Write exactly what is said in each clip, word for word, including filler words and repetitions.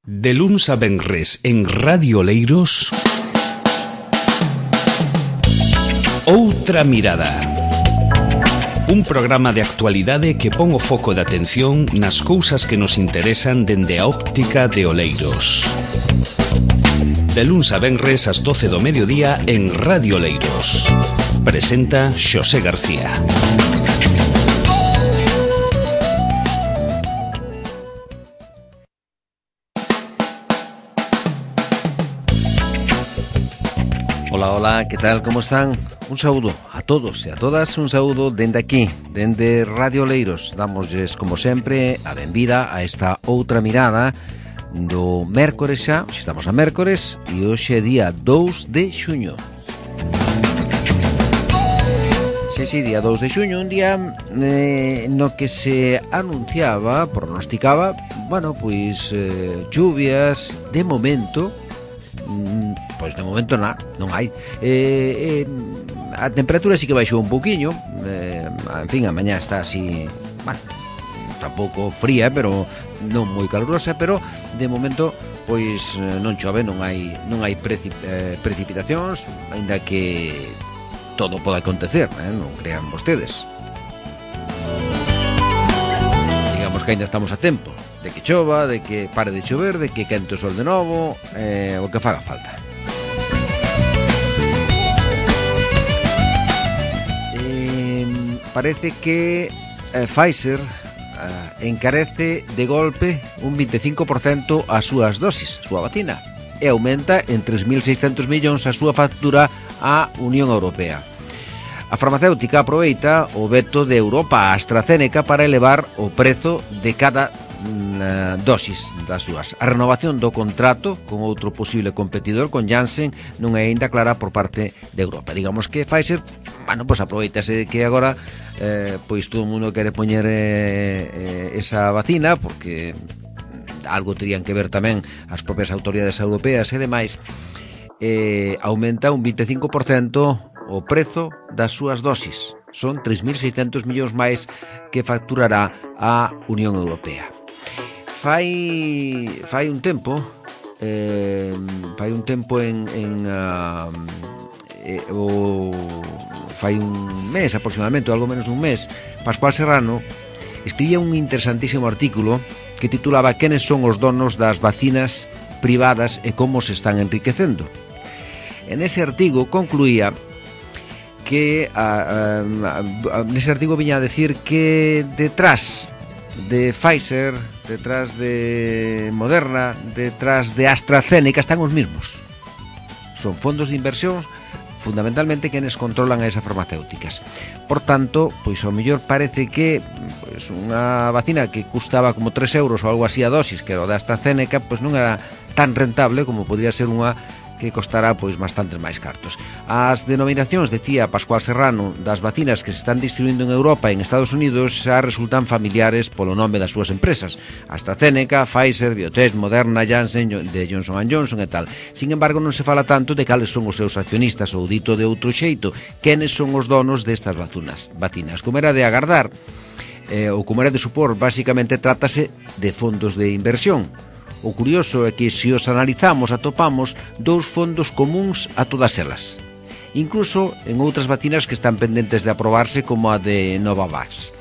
De luns a venres en Radio Oleiros, Outra Mirada. Un programa de actualidade que pon o foco de atención nas cousas que nos interesan dende a óptica de Oleiros. De luns a venres ás doce do mediodía en Radio Oleiros. Presenta Xosé García. Hola, hola, que tal, como están? Un saúdo a todos e a todas, un saúdo dende aquí, dende Radio Oleiros. Damosles, como sempre, a benvida a esta outra mirada do mércores xa, hoxe estamos a mércores, e hoxe é día dous de xuño. Xe, si, día dous de xuño, un día eh, no que se anunciaba, pronosticaba, bueno, pois, eh, lluvias, de momento... Pois de momento na, non hai eh, eh, a temperatura sí que baixou un pouquiño, eh, en fin, a mañá está así, bueno, tampouco fría, pero non moi calurosa, pero de momento pois non chove, non hai non hai precip, eh, precipitacións, aínda que todo pode acontecer, eh, non crean vostedes. Digamos que aínda estamos a tempo de que chova, de que pare de chover, de que quente o sol de novo, eh, o que faga falta. Parece que eh, Pfizer eh, encarece de golpe un veinticinco por ciento as súas dosis, a súa vacina, e aumenta en tres mil seiscentos millóns a súa factura á Unión Europea. A farmacéutica aproveita o veto de Europa a AstraZeneca para elevar o prezo de cada mm, dosis das súas. A renovación do contrato con outro posible competidor, con Janssen, non é aínda clara por parte de Europa. Digamos que Pfizer, bueno, pois aproveitase que agora eh, pois todo o mundo quere poñer eh, eh, esa vacina, porque algo terían que ver tamén as propias autoridades europeas e demais. Eh, aumenta un veinticinco por ciento o prezo das súas dosis. Son tres mil seiscentos millóns máis que facturará a Unión Europea. Fai fai un tempo, eh, fai un tempo en, en uh, eh, o fai un mes aproximadamente, ou algo menos dun mes, Pascual Serrano escribía un interesantísimo artículo que titulaba "Quenes son os donos das vacinas privadas e como se están enriquecendo?". En ese artigo concluía que a, a, a, nese artigo viña a decir que detrás de Pfizer, detrás de Moderna, detrás de AstraZeneca están os mismos. Son fondos de inversión, fundamentalmente quenes controlan a esas farmacéuticas. Por tanto, pois ao mellor parece que pois unha vacina que custaba como tres euros ou algo así a dosis, que era o da AstraZeneca, pois non era tan rentable como podría ser unha que costará pois bastantes máis cartos. As denominacións, decía Pascual Serrano, das vacinas que se están distribuindo en Europa e en Estados Unidos xa resultan familiares polo nome das súas empresas: AstraZeneca, Pfizer, Biotech, Moderna, Janssen, de Johnson and Johnson e tal. Sin embargo, non se fala tanto de cales son os seus accionistas, ou dito de outro xeito, quenes son os donos destas vacinas. vacinas. Como era de agardar, eh, ou como era de supor, basicamente trátase de fondos de inversión. O curioso é que, se os analizamos, atopamos dous fondos comuns a todas elas, incluso en outras vacinas que están pendentes de aprobarse, como a de Novavax.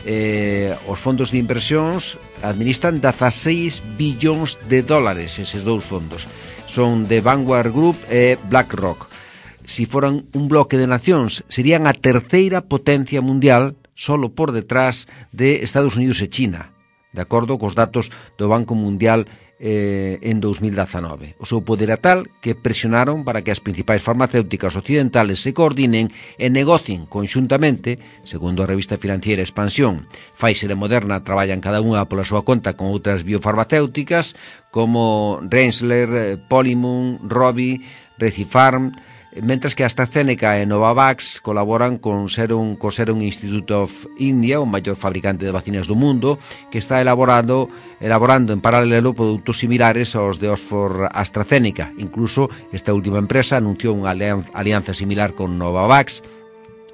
Eh, os fondos de inversións administran dezaseis billóns de dólares. Eses dous fondos son de Vanguard Group e BlackRock. Si foran un bloque de nacións, serían a terceira potencia mundial, solo por detrás de Estados Unidos e China, de acordo cos datos do Banco Mundial eh, en dos mil dezanove. O seu poder é tal que presionaron para que as principais farmacéuticas occidentales se coordinen e negocien conxuntamente, segundo a revista financiera Expansión. Pfizer e Moderna traballan cada unha pola súa conta con outras biofarmacéuticas como Rensler, Polymun, Rovi, Recipharm, mentras que AstraZeneca e Novavax colaboran con Serum, co Serum Institute of India, o maior fabricante de vacinas do mundo, que está elaborando, elaborando en paralelo produtos similares aos de Oxford AstraZeneca. Incluso esta última empresa anunciou unha alianza similar con Novavax,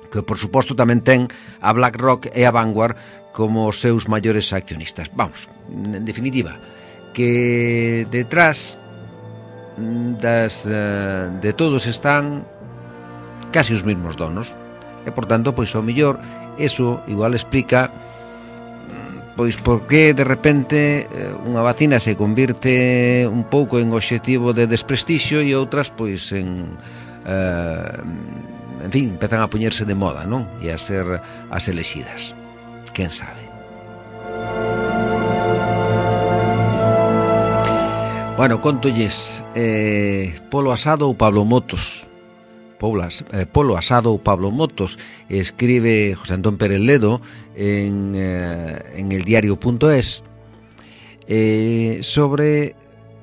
que por suposto tamén ten a BlackRock e a Vanguard como os seus maiores accionistas. Vamos, en definitiva, que detrás das, uh, de todos están casi os mesmos donos, e por tanto, pois ao mellor eso igual explica pois por que de repente unha vacina se convirte un pouco en obxectivo de desprestixio e outras pois en uh, en fin, empezan a poñerse de moda, non? E a ser as elexidas. Quen sabe? Bueno, contolles eh, Polo Asado ou Pablo Motos. Poblas, eh, Polo Asado ou Pablo Motos, escribe José Antón Pérez Ledo en, eh, en el diario punto es eh, sobre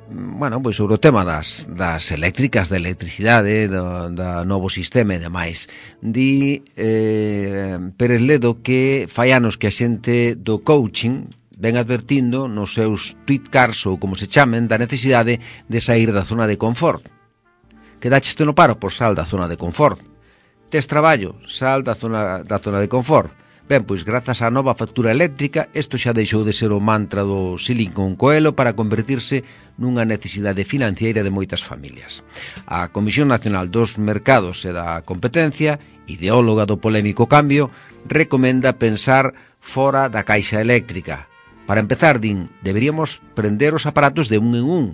bueno, pois sobre o tema das, das eléctricas, da electricidade, do, da novo sistema e demais. Di eh, Pérez Ledo que fai anos que a xente do coaching ven advertindo nos seus tweetcars ou como se chamen da necesidade de sair da zona de confort. Quedaches no paro, por sal da zona de confort. Tes traballo, sal da zona, da zona de confort. Ben, pois grazas á nova factura eléctrica, isto xa deixou de ser o mantra do Silicon Coelho para convertirse nunha necesidade financiera de moitas familias. A Comisión Nacional dos Mercados e da Competencia, ideóloga do polémico cambio, recomenda pensar fora da caixa eléctrica. Para empezar, din, deberíamos prender os aparatos de un en un.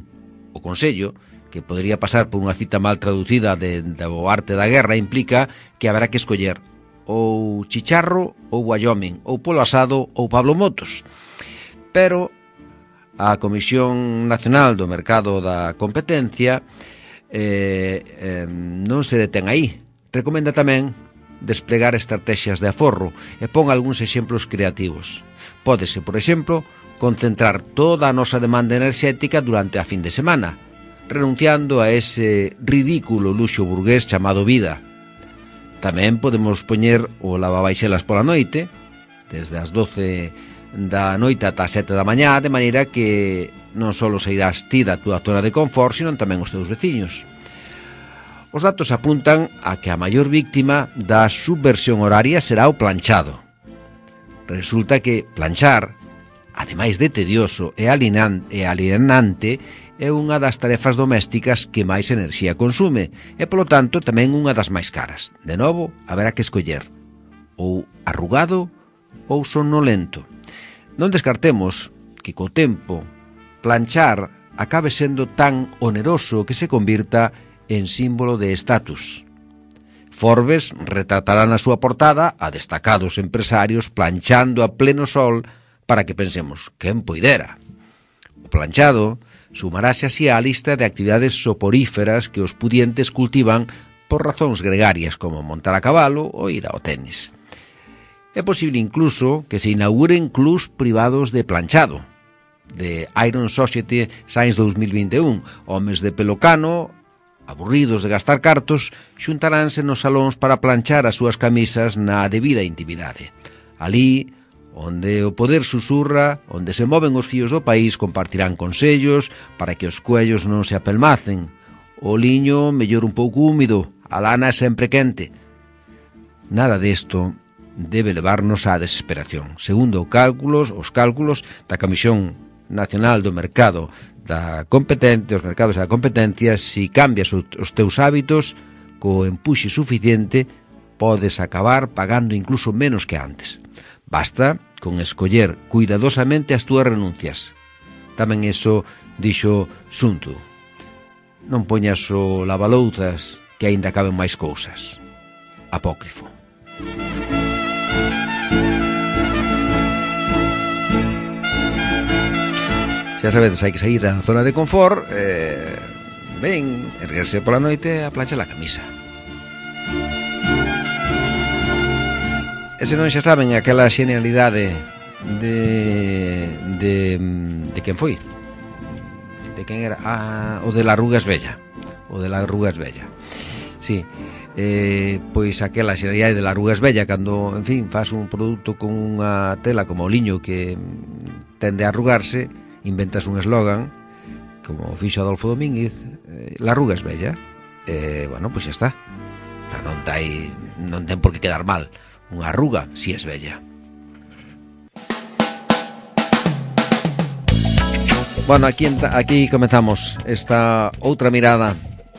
O Consello, que podría pasar por unha cita mal traducida de, de o arte da guerra, implica que haberá que escoller ou Chicharro ou Wyoming, ou Polo Asado ou Pablo Motos. Pero a Comisión Nacional do Mercado da Competencia eh, eh, non se detén aí. Recomenda tamén desplegar estrategias de aforro e pon algúns exemplos creativos. Pódese, por exemplo, concentrar toda a nosa demanda enerxética durante a fin de semana, renunciando a ese ridículo luxo burgués chamado vida. Tamén podemos poñer o lavabaixelas pola noite, desde as doce da noite ata as sete da mañá, de maneira que non só sairás ti da túa zona de confort, sino tamén os teus veciños. Os datos apuntan a que a maior víctima da subversión horaria será o planchado. Resulta que planchar, ademais de tedioso e alienante, é unha das tarefas domésticas que máis enerxía consume e, polo tanto, tamén unha das máis caras. De novo, haberá que escoller ou arrugado ou somnolento. Non descartemos que co tempo planchar acabe sendo tan oneroso que se convirta en símbolo de estatus. Forbes retratará na súa portada a destacados empresarios planchando a pleno sol para que pensemos, quen poidera? O planchado sumarase así á lista de actividades soporíferas que os pudientes cultivan por razóns gregarias como montar a cabalo ou ir ao tenis. É posible incluso que se inauguren clubs privados de planchado. De Iron Society Science dos mil vinte e un, homes de pelo cano, aburridos de gastar cartos, xuntaránse nos salóns para planchar as súas camisas na debida intimidade. Alí, onde o poder susurra, onde se moven os fíos do país, compartirán consellos para que os cuellos non se apelmacen. O liño mellor un pouco húmido, a lana é sempre quente. Nada desto debe levarnos á desesperación. Segundo cálculos, os cálculos da Comisión Nacional do Mercado da Competencia, os mercados da competencia, si cambias os teus hábitos co empuxe suficiente, podes acabar pagando incluso menos que antes. Basta con escoller cuidadosamente as túas renuncias. Tamén iso dixo Sun Tzu. Non poñas o lavalouzas que aínda caben máis cousas. Apócrifo. Xa sabedes, hai que sair da zona de confort, eh, ben, erguerse pola noite a planchar a camisa. E se non xa saben aquela xenialidade de, de, de quen foi? De quen era? Ah, o de la Arruga es Bella. O de la Arruga es Bella. Sí, eh, pois aquela xenialidade de la Arruga es Bella, cando, en fin, faz un produto con unha tela como o liño que tende a arrugarse, inventas un eslogan, como fixo Adolfo Domínguez, eh, la Arruga es Bella. Eh, bueno, pois xa está. Non, tai, non ten por que quedar mal. Unha arruga, si es bella. Bueno, aquí, aquí comenzamos esta outra mirada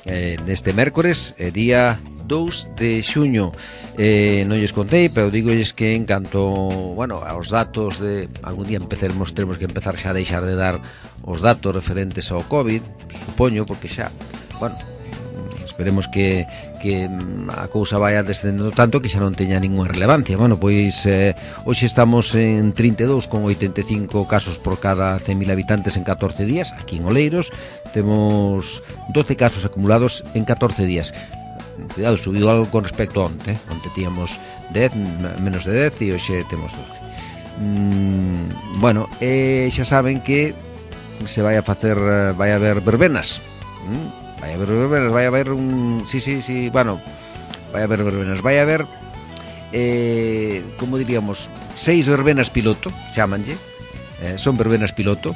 eh, deste mércores, eh, día dous de xuño. Eh, non lles contei, pero digolles que en canto, bueno, aos datos de algún día empezaremos, teremos que empezar xa a deixar de dar os datos referentes ao COVID, supoño, porque xa, bueno, esperemos que, que a cousa vaya descendendo tanto que xa non teña ninguna relevancia. Bueno, pois eh, hoxe estamos en trinta e dous coma oitenta e cinco casos por cada cen mil habitantes en catorce días. Aquí en Oleiros temos doce casos acumulados en catorce días. Cuidado, subiu algo con respecto a onte, eh? Onte tíamos dez, menos de dez e hoxe temos doce. mm, Bueno, eh, xa saben que se vai a facer, vai a haber verbenas. mm? Vai a haber verbenas, vai a haber un... Sí, sí, sí, bueno, vai a haber verbenas, vai a haber, eh, como diríamos, seis verbenas piloto, chámanlle, eh, son verbenas piloto,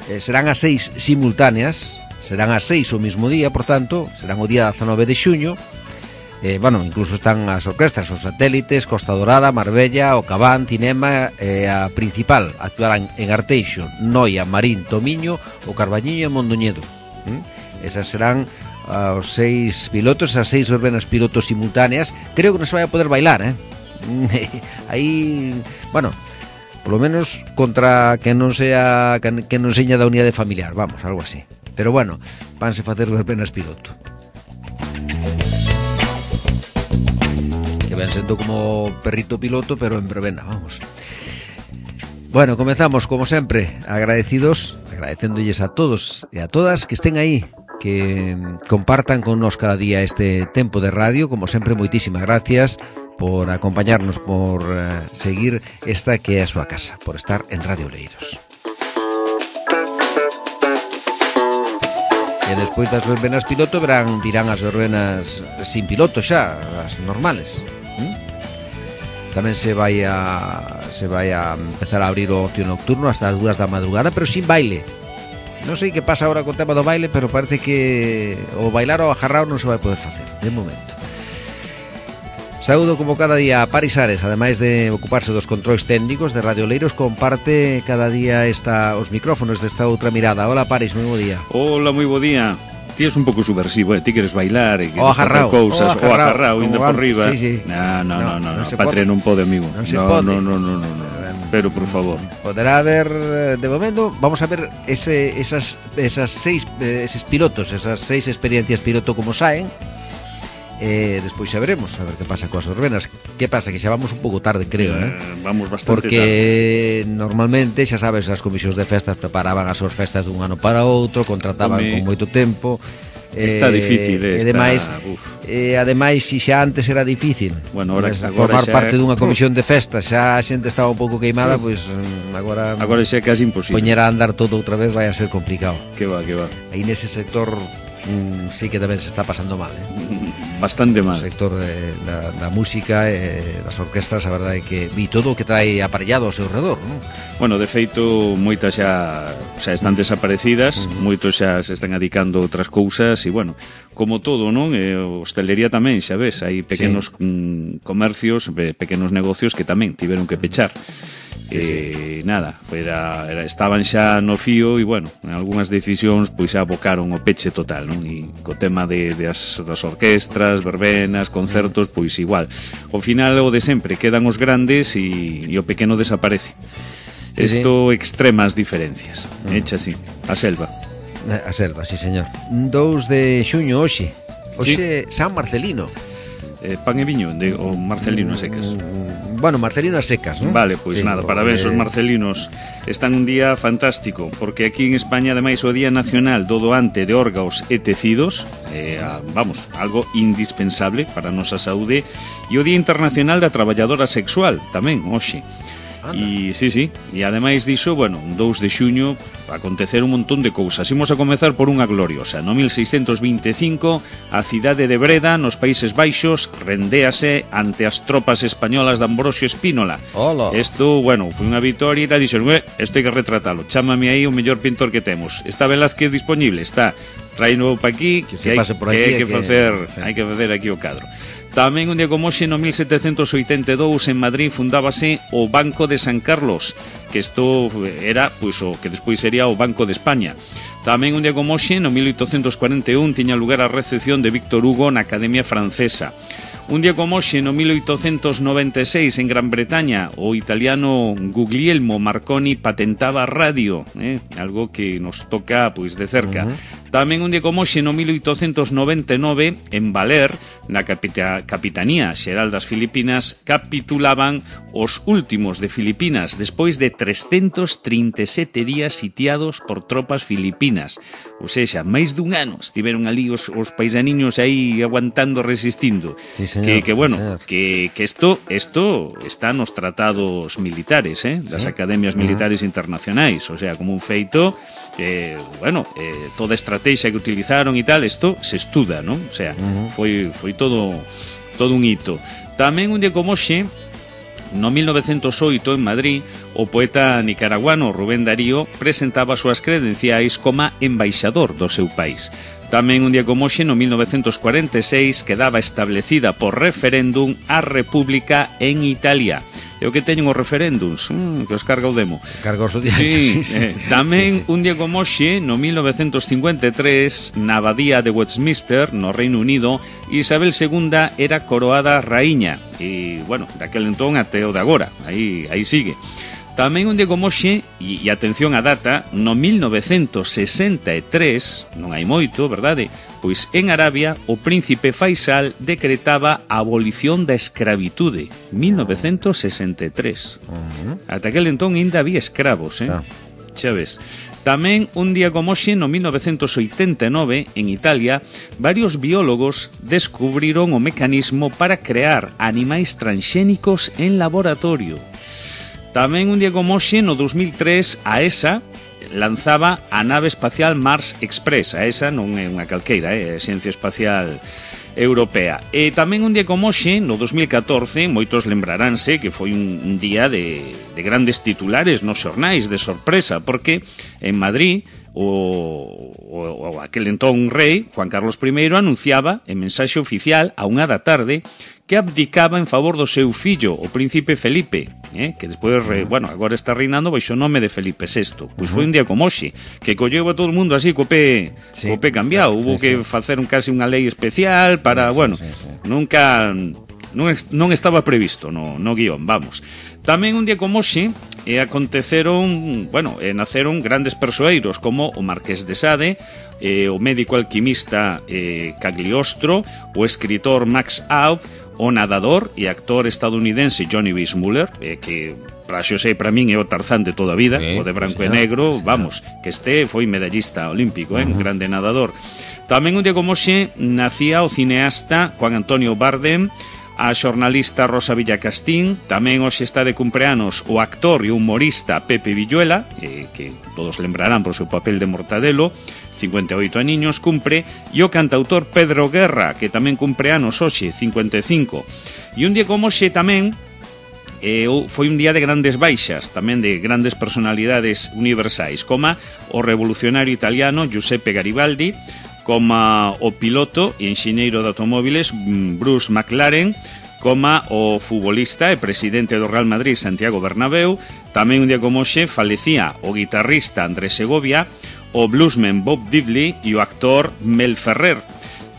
eh, serán as seis simultáneas, serán as seis o mismo día, por tanto, serán o día dezanove de xuño, eh, bueno, incluso están as orquestas, os satélites, Costa Dorada, Marbella, o Cabán, Cinema, eh, a principal, actuarán en Arteixo, Noia, Marín, Tomiño, o Carballiño e Mondoñedo, ¿Mm? Esas serán uh, os seis pilotos, as seis verbenas pilotos simultáneas. Creo que non se vai a poder bailar, eh? Aí, bueno, por lo menos contra que non sea que non seña da unidade familiar, vamos, algo así. Pero bueno, vanse facer verbenas piloto. Que ven sendo como perrito piloto, pero en verbena, vamos. Bueno, comenzamos, como sempre, agradecidos, agradecéndolles a todos e a todas que estén aí, que compartan con nos cada día este tempo de radio. Como sempre, moitísimas gracias por acompañarnos, por uh, seguir esta que é a súa casa, por estar en Radio Oleiros. E despois das verbenas piloto verán, virán as verbenas sin piloto xa, as normales. ¿Mm? Tamén se vai a se vai a empezar a abrir o ocio nocturno hasta as dúas da madrugada, pero sin baile. Non sei que pasa agora con o tema do baile, pero parece que o bailar ou ajarrao non se vai poder facer, de momento. Saúdo como cada día a Paris Ares, ademais de ocuparse dos controis técnicos de Radio Oleiros, comparte cada día esta, os micrófonos desta outra mirada. Hola Paris, moi bo día. Hola, moi bo día. Ti es un pouco subversivo, eh? Ti queres bailar e queres facer cousas, o ajarrao, indo por riba. Sí, sí. No, no, no, no, no, no, no. Patria non pode, amigo. Non se no, pode. No, no, no, no, no. Pero por favor. Poderá haber, de momento, vamos a ver ese, esas, esas seis, eses pilotos, esas seis experiencias piloto como saen. Eh, despois xa veremos a ver que pasa coas verbenas. Que pasa? Que xa vamos un pouco tarde, creo, eh? eh Vamos bastante Porque tarde. Normalmente, xa sabes, as comisións de festas preparaban as súas festas dun ano para outro, contrataban Home, con moito tempo. Está eh, difícil, eh, e ademais, eh, ademais si xa antes era difícil. Bueno, ahora, pues, agora formar xa... parte dunha comisión de festas, xa a xente estaba un pouco queimada, pois pues, agora agora xa é casi imposible. Poñer a andar todo outra vez vai a ser complicado. Que va, que va. Aí nese sector mm, sí que tamén se está pasando mal, eh? Bastante mal. O sector de, da, da música e eh, das orquestras, a verdade é que vi todo o que trae aparellado ao seu redor, non? Bueno, de feito, moitas xa xa están desaparecidas, uh-huh. Moitos xa se están adicando a outras cousas e, bueno, como todo, non? E hostelería tamén, xa ves, hai pequenos sí. mm, comercios, pequenos negocios que tamén tiveron que pechar. Sí, sí. Eh, nada, era, era, estaban xa no fío e, bueno, en algunhas decisións pois xa abocaron o peche total, non? E co tema de, de as, das orquestras, verbenas, concertos, pois igual. Ao final o de sempre, quedan os grandes e, e o pequeno desaparece. Isto sí, sí. Extremas diferencias. Mm. Echa así, a selva. A selva, sí, señor. dous de xuño hoxe. Hoxe sí. San Marcelino. Eh, pan e viño, de, o Marcelino a secas. Bueno, Marcelino a secas, ¿no? Vale, pois pues sí, nada, parabéns eh... os marcelinos. Están un día fantástico, porque aquí en España, ademais, o Día Nacional do Doante de Órganos e Tecidos, eh, vamos, algo indispensable para a nosa saúde, e o Día Internacional da Traballadora Sexual, tamén, hoxe. E, sí, sí, e ademais diso, bueno, un dous de xuño acontecer un montón de cousas. Imos a comezar por unha gloriosa. No mil seiscentos vinte e cinco, a cidade de Breda, nos Países Baixos, rendéase ante as tropas españolas de Ambrosio Espínola. Hola. Isto, bueno, foi unha vitoria e dixeron, eh, isto hai que retratalo, chámame aí o mellor pintor que temos. Está Velázquez disponible? Está. Traino pa aquí, que, que, hai, por aquí, que hai que, que facer, sí. hai que facer aquí o cadro. Tamén un día como hoxe, no mil setecentos oitenta e dous, en Madrid fundábase o Banco de San Carlos, que isto era, pois, o que despois sería o Banco de España. Tamén un día como hoxe, no mil oitocentos cuarenta e un, tiña lugar a recepción de Víctor Hugo na Academia Francesa. Un día como hoxe, no mil oitocentos noventa e seis, en Gran Bretaña, o italiano Guglielmo Marconi patentaba a radio, eh? algo que nos toca pois de cerca. Uh-huh. Tamén un día como hoxe, no mil oitocentos noventa e nove, en Valer, na capita, Capitanía Xeral das Filipinas, capitulaban os últimos de Filipinas, despois de trescentos trinta e sete días sitiados por tropas filipinas. Ou seja, máis dun ano estiveron ali os, os paisaniños aí aguantando, resistindo. Sí, señor, que, que bueno, señor. que, que esto, esto está nos tratados militares, eh, das sí. academias militares uh-huh. internacionais, o sea, como un feito que, bueno, eh, toda a estrategia que utilizaron e tal, isto se estuda, non? O sea, uh-huh. foi, foi todo, todo un hito. Tamén un día como hoxe, no mil novecentos oito, en Madrid, o poeta nicaraguano Rubén Darío presentaba as súas credenciais como embaixador do seu país. Tamén un día como hoxe, no mil novecentos cuarenta e seis, quedaba establecida por referéndum a República en Italia. E o que teñen os referéndums, mm, que os carga o demo. Carga os diario, sí, sí, sí. Eh, tamén sí, sí. un día como hoxe, no mil novecentos cincuenta e tres, na abadía de Westminster, no Reino Unido, Isabel segunda era coroada raíña. E, bueno, daquel entón até o de agora, aí, aí sigue. Tamén un día como hoxe, e, e atención á data, no mil novecentos sesenta e tres, non hai moito, verdade? Pois en Arabia o príncipe Faisal decretaba a abolición da escravitude. mil novecentos sesenta e tres. Uh-huh. Ata aquel entón ainda había escravos, eh? Xa ves. Tamén un día como hoxe, no mil novecentos oitenta e nove, en Italia, varios biólogos descubriron o mecanismo para crear animais transxénicos en laboratorio. Tamén un día como hoxe, no dos mil tres, a E S A lanzaba a nave espacial Mars Express. A E S A non é unha calqueira, é a Xencia Espacial Europea. E tamén un día como hoxe, no dos mil catorce, moitos lembraránse que foi un, un día de, de grandes titulares nos xornais, de sorpresa, porque en Madrid o, o, o aquel entón rei, Juan Carlos I, anunciaba en mensaxe oficial a unha da tarde que abdicaba en favor do seu fillo, o príncipe Felipe, eh, que despois, uh-huh. bueno, agora está reinando baixo o nome de Felipe sexto. Pois uh-huh. foi un día como hoxe, que colleu a todo o mundo así co pé, sí, co pé cambiado. Sí, Hubo sí, que sí. facer un casi unha lei especial para, sí, bueno, sí, sí, sí. nunca non, non estaba previsto no, no guión, vamos. Tamén un día como hoxe e aconteceron, bueno, e naceron grandes persoeiros como o Marqués de Sade, eh, o médico alquimista eh, Cagliostro, o escritor Max Aub, o nadador e actor estadounidense Johnny Weissmuller, eh, que para xo sei, para min é o Tarzán de toda a vida, sí, o de branco sí, e negro, sí, vamos, que este foi medallista olímpico, eh, uh-huh. un grande nadador. Tamén un día como hoxe nacía o cineasta Juan Antonio Bardem, a xornalista Rosa Villacastín, tamén hoxe está de cumpleanos o actor e humorista Pepe Villuela, eh, que todos lembrarán por seu papel de Mortadelo, cincuenta e oito aniños cumpre, e o cantautor Pedro Guerra, que tamén cumpre anos hoxe, cincuenta e cinco. E un día como hoxe tamén eh, foi un día de grandes baixas, tamén de grandes personalidades universais, como o revolucionario italiano Giuseppe Garibaldi, como o piloto e enxeñeiro de automóviles Bruce McLaren, como o futbolista e presidente do Real Madrid Santiago Bernabéu. Tamén un día como hoxe falecía o guitarrista Andrés Segovia, o bluesman Bob Diddley e o actor Mel Ferrer.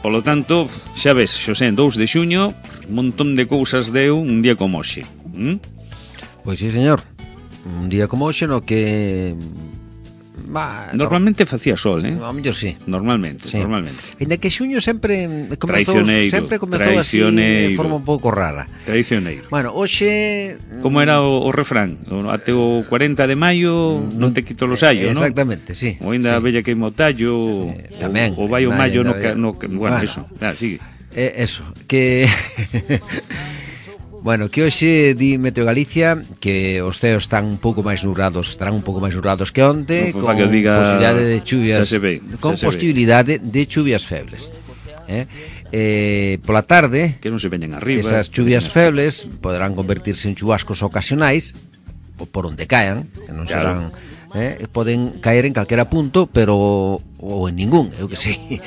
Polo tanto, xa ves, Xosé, dous de xuño, un montón de cousas deu un día como hoxe. ¿Mm? Pois sí, señor. Un día como hoxe no que... Bah, normalmente no, facía sol, eh? No, mellor sí. Normalmente, sí. normalmente. Ainda que xuño sempre comezou, sempre comezou así de forma un pouco rara. Traicioneiro. Bueno, hoxe... Como era o, o refrán? Até o cuarenta de maio non te quito los hallos, non? Exactamente, sí. O ainda sí. bella que mo tallo, sí, tamén, o, o vai o maio no, no, no... Bueno, bueno, eso. Ah, sigue. Eh, eso, que... Bueno, que hoxe di Meteo Galicia que os ceos están un pouco máis nubrados, estarán un pouco máis nubrados que onte, no, con diga... posibilidade de chuvias, ve, con posibilidade de chuvias febles. Eh? Eh, pola tarde, que non se veñen arriba, esas chuvias febles poderán convertirse en chubascos ocasionais, ou por onde caen, que non claro. serán eh? Poden caer en calquera punto, pero ou en ningún, eu que sei.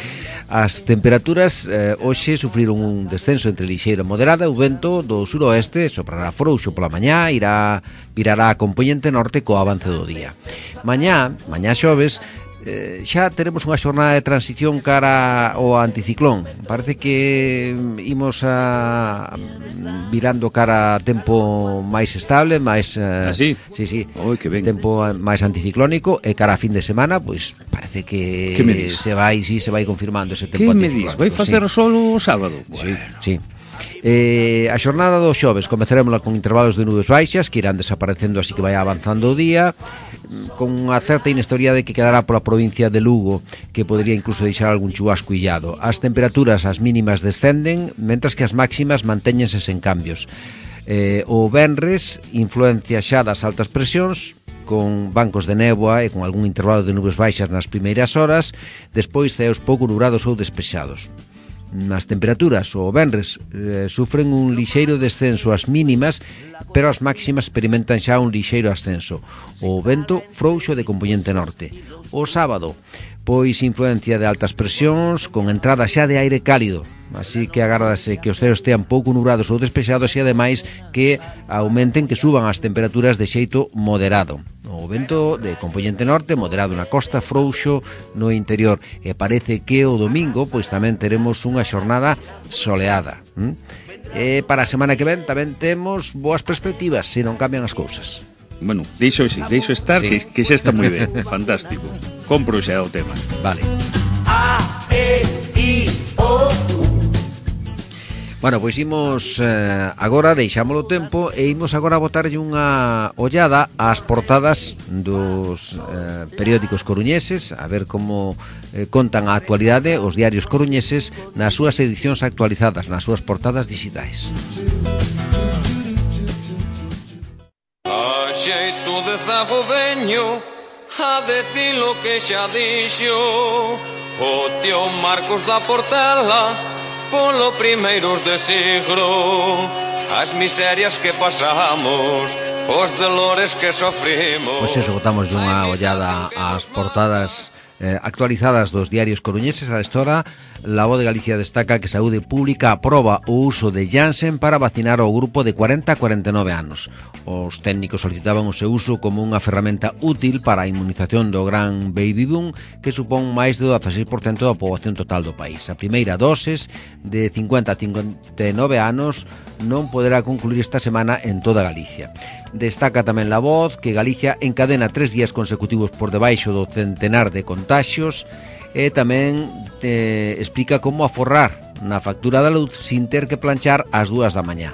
As temperaturas eh, hoxe sufriron un descenso entre lixeiro e moderada. O vento do suroeste soprará frouxo pola mañá, irá virará a compoñente norte co avance do día. Mañá, mañá xoves, Eh, xa teremos unha xornada de transición cara ao anticiclón. Parece que imos a virando cara a tempo máis estable, máis eh, ¿Ah, sí? Sí, sí. Oi, que ben. Tempo máis anticiclónico e cara a fin de semana, pois parece que se vai, sí, se vai confirmando ese tempo anticiclónico. Que me dis? Vai facer sí. Solo o sábado? Sí, bueno. sí. Eh, a xornada do xoves comezaremosla con intervalos de nubes baixas que irán desaparecendo así que vai avanzando o día, con unha certa inestabilidade que quedará pola provincia de Lugo, que podría incluso deixar algún chubasco illado. As temperaturas, as mínimas descenden, mentras que as máximas mantéñense sen cambios. Eh, o venres, influencia xa das altas presións, con bancos de néboa e con algún intervalo de nubes baixas nas primeiras horas, despois ceos pouco nubrados ou despexados. Nas temperaturas, o venres eh, sufren un lixeiro descenso as mínimas, pero as máximas experimentan xa un lixeiro ascenso. O vento frouxo de compoñente norte. O sábado, pois influencia de altas presións con entrada xa de aire cálido, así que agárdase que os ceos estean pouco nubrados ou despexados e ademais que aumenten, que suban as temperaturas de xeito moderado. O vento de compoñente norte, moderado na costa, frouxo no interior, e parece que o domingo pois tamén teremos unha xornada soleada. ¿Mm? E para a semana que ven tamén temos boas perspectivas, se non cambian as cousas. Bueno, deixo, deixo estar, sí. que, que xa está moi ben, fantástico. Compro xa o tema. Vale. A, E, I, O, U. Bueno, pois imos eh, agora, deixámolo tempo e imos agora botarlle unha ollada ás portadas dos eh, periódicos coruñeses, a ver como eh, contan a actualidade os diarios coruñeses nas súas edicións actualizadas, nas súas portadas digitais. A xeito de zago veño a decir lo que xa dixo o tío Marcos da Portela polo primeiros de siglo, as miserias que pasamos, os dolores que sofrimos. Pois eso, botamos unha ollada ás portadas eh, actualizadas dos diarios coruñeses. A esta hora, La Voz de Galicia destaca que Saúde Pública aproba o uso de Janssen para vacinar ao grupo de cuarenta a cuarenta e nove anos. Os técnicos solicitaban o seu uso como unha ferramenta útil para a inmunización do gran baby boom, que supón máis de dezasseis por cento da poboación total do país. A primeira doses de cincuenta a cincuenta e nove anos non poderá concluir esta semana en toda Galicia. Destaca tamén La Voz que Galicia encadena tres días consecutivos por debaixo do centenar de contaxios e tamén te explica como aforrar na factura da luz sin ter que planchar ás dúas da mañá.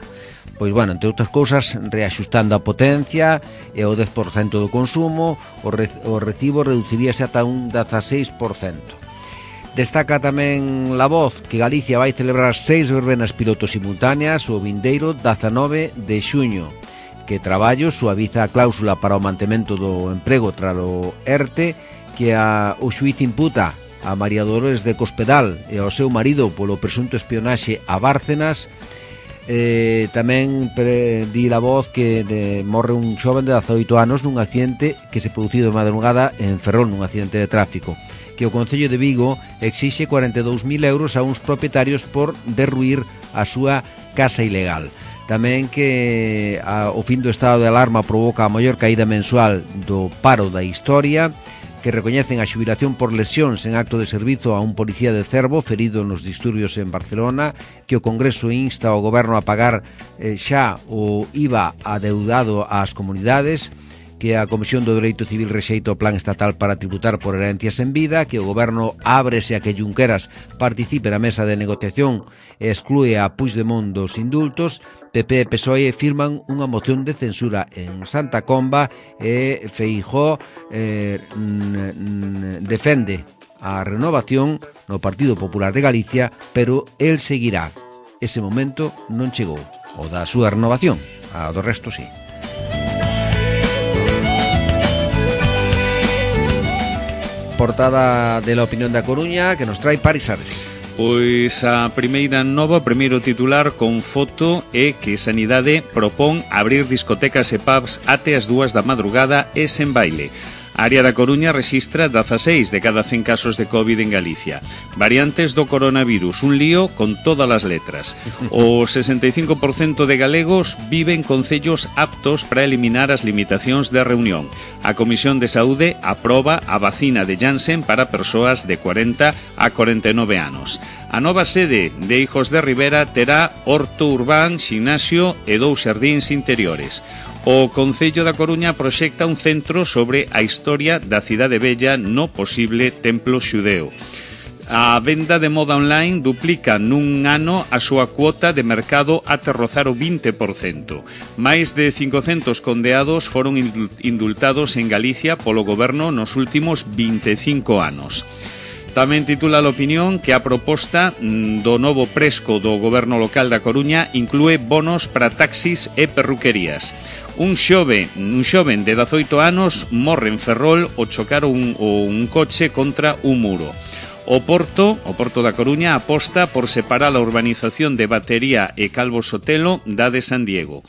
Pois, bueno, entre outras cousas, reaxustando a potencia e o dez por cento do consumo, o, re, o recibo reduciríase ata un dezasseis por cento. Destaca tamén La Voz que Galicia vai celebrar seis verbenas pilotos simultáneas o vindeiro dezanove de xuño, que Traballo suaviza a cláusula para o mantemento do emprego tras o ERTE que a, o xuíz imputa a María Dolores de Cospedal e ao seu marido polo presunto espionaxe a Bárcenas. Eh, tamén pre, di La Voz que de, morre un xoven de dezaoito anos nun accidente que se producido de madrugada en Ferrol, nun accidente de tráfico, que o Concello de Vigo exixe cuarenta e dous mil euros a uns propietarios por derruir a súa casa ilegal. Tamén que a, o fin do estado de alarma provoca a maior caída mensual do paro da historia, que recoñecen a xubilación por lesións en acto de servizo a un policía de Cervo ferido nos disturbios en Barcelona, que o Congreso insta ao Goberno a pagar eh, xa o I V A adeudado ás comunidades, que a Comisión do Dereito Civil rexeita o plan estatal para tributar por herencias en vida, que o Goberno ábrese a que Junqueras participe na mesa de negociación e exclúe a Puigdemont dos indultos. P P e P S O E firman unha moción de censura en Santa Comba e Feijóo eh, defende a renovación no Partido Popular de Galicia, pero el seguirá. Ese momento non chegou, o da súa renovación, a do resto sí. Portada de La Opinión da Coruña que nos trae Paris Ares. Pois a primeira nova, primeiro titular con foto é que Sanidade propón abrir discotecas e pubs até as dúas da madrugada e sen baile. A área da Coruña rexistra dezaseis de cada cen casos de COVID en Galicia. Variantes do coronavirus, un lío con todas as letras. O sesenta e cinco por cento de galegos vive en concellos aptos para eliminar as limitacións de reunión. A Comisión de Saúde aproba a vacina de Janssen para persoas de cuarenta a cuarenta e nove anos. A nova sede de Hijos de Rivera terá horto urbán, ximnasio e dous xardíns interiores. O Concello da Coruña proxecta un centro sobre a historia da cidade vella no posible templo xudeo. A venda de moda online duplica nun ano a súa cuota de mercado até rozar o vinte por cento. Máis de cincocentos condeados foron indultados en Galicia polo goberno nos últimos vinte e cinco anos. Tamén titula a opinión que a proposta do novo presco do goberno local da Coruña inclúe bonos para taxis e perruquerías. Un xove, un xoven de dezoito anos morre en Ferrol ao chocar un, un coche contra un muro. O Porto, o Porto da Coruña, aposta por separar a urbanización de Batería e Calvo Sotelo da de San Diego.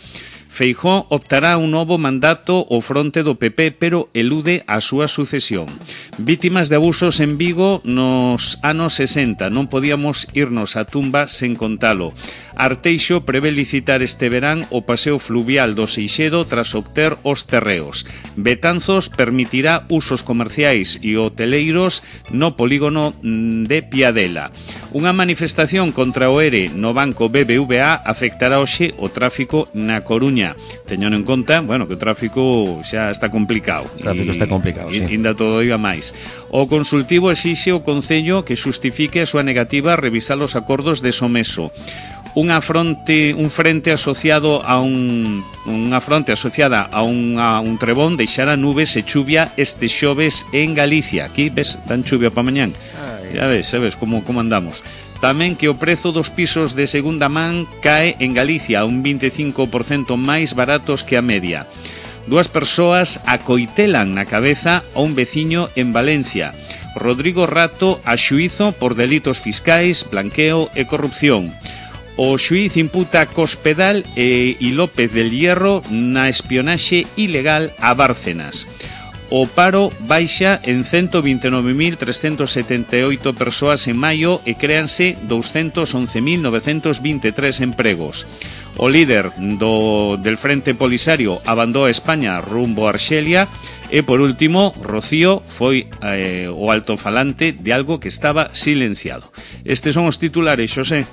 Feijóo optará un novo mandato ao fronte do P P, pero elude a súa sucesión. Vítimas de abusos en Vigo nos anos sesenta. Non podíamos irnos á tumba sen contalo. Arteixo prevé licitar este verán o paseo fluvial do Seixedo tras obter os terreos. Betanzos permitirá usos comerciais e hoteleiros no polígono de Piadela. Unha manifestación contra o ERE no banco B B V A afectará hoxe o tráfico na Coruña. Teñan en conta, bueno, que o tráfico xa está complicado. O tráfico está complicado, sí. Inda todo iba máis. O consultivo exixe o Concello que xustifique a súa negativa a revisar os acordos de Someso. Unha fronte, un frente asociado a un unha fronte asociada a un, a un trebón deixará nubes e chuvia este xoves en Galicia. Aquí ves, dan chuvia para mañán. Ya ves, sabes como como andamos. Tamén que o prezo dos pisos de segunda man cae en Galicia un vinte e cinco por cento máis baratos que a media. Dúas persoas acoitelan na cabeza a un veciño en Valencia. Rodrigo Rato a xuízo por delitos fiscais, blanqueo e corrupción. O xuíz imputa a Cospedal e, e López del Hierro na espionaxe ilegal a Bárcenas. O paro baixa en ciento vinte e nove mil trescentos setenta e oito persoas en maio e créanse doscientos once mil novecentos vinte e tres empregos. O líder do, del Frente Polisario abandou a España rumbo a Arxelia e, por último, Rocío foi eh, o altofalante de algo que estaba silenciado. Estes son os titulares, Xosé.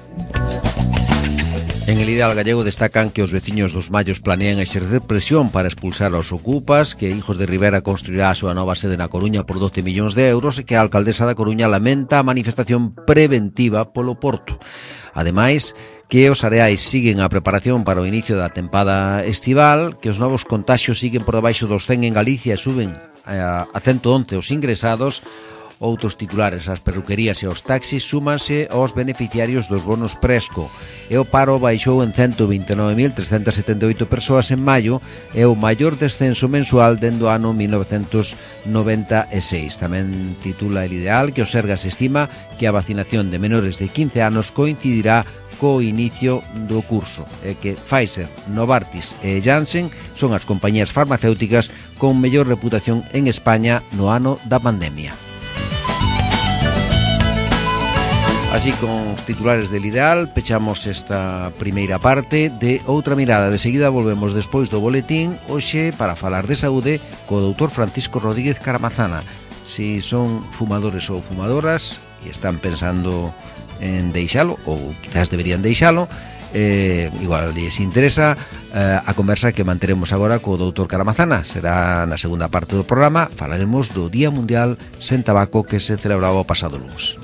En El Ideal Gallego destacan que os veciños dos Mallos planean exercer presión para expulsar aos ocupas, que Hijos de Rivera construirá a súa nova sede na Coruña por doce millóns de euros e que a alcaldesa da Coruña lamenta a manifestación preventiva polo Porto. Ademais, que os areais siguen a preparación para o inicio da tempada estival, que os novos contaxios siguen por debaixo dos cen en Galicia e suben a ciento once os ingresados. Outros titulares, as perruquerías e os taxis súmanse aos beneficiarios dos bonos Presco e o paro baixou en ciento vinte e nove mil trescentos setenta e oito persoas en maio e o maior descenso mensual dende o ano mil novecentos noventa e seis. Tamén titula El Ideal que o Sergas estima que a vacinación de menores de quince anos coincidirá co inicio do curso e que Pfizer, Novartis e Janssen son as compañías farmacéuticas con mellor reputación en España no ano da pandemia. Así, con os titulares del Ideal, pechamos esta primeira parte de Outra Mirada. De seguida volvemos despois do boletín, hoxe para falar de saúde co doutor Francisco Rodríguez Caramazana. Si son fumadores ou fumadoras e están pensando en deixalo, ou quizás deberían deixalo, eh, igual lles interesa eh, a conversa que manteremos agora co doutor Caramazana. Será na segunda parte do programa. Falaremos do Día Mundial sen Tabaco que se celebraba o pasado luns.